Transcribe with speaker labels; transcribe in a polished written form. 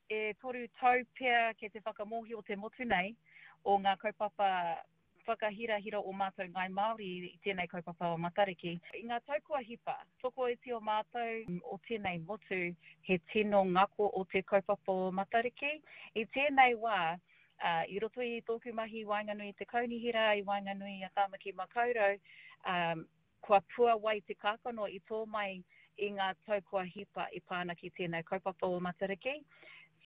Speaker 1: E toru tau pea kei te whakamōhio te motu nei o ngā kaupapa whakahirahira o mātou Ngāi Māori i tēnei kaupapa o Matariki. I ngā tau kua hipa, tokoiti o mātou o tēnei motu he tino ngako o te kaupapa o Matariki. I tēnei wā, i roto i tōku mahi i waenganui i te kaunihera, i waenganui i a Tāmaki Makaurau, Kua puawai te kākano i tō mai i ngā tau kua hipa e pā ana ki tēnei kaupapa o Matariki.